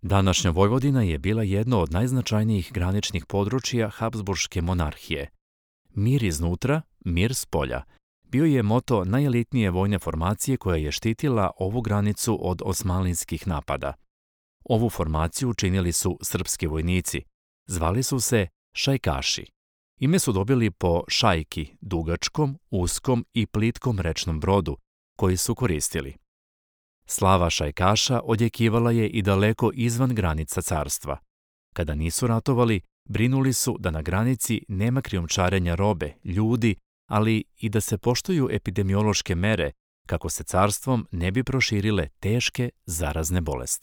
Današnja Vojvodina je bila jedno od najznačajnijih graničnih područja Habsburške monarhije. Mir iznutra, mir spolja bio je moto najelitnije vojne formacije koja je štitila ovu granicu od osmanlijskih napada. Ovu formaciju činili su srpski vojnici. Zvali su se šajkaši. Ime su dobili po šajki, dugačkom, uskom i plitkom rečnom brodu, koji su koristili. Slava šajkaša odjekivala je i daleko izvan granica carstva. Kada nisu ratovali, brinuli su da na granici nema krijumčarenja robe, ljudi, ali i da se poštuju epidemiološke mere kako se carstvom ne bi proširile teške zarazne bolesti.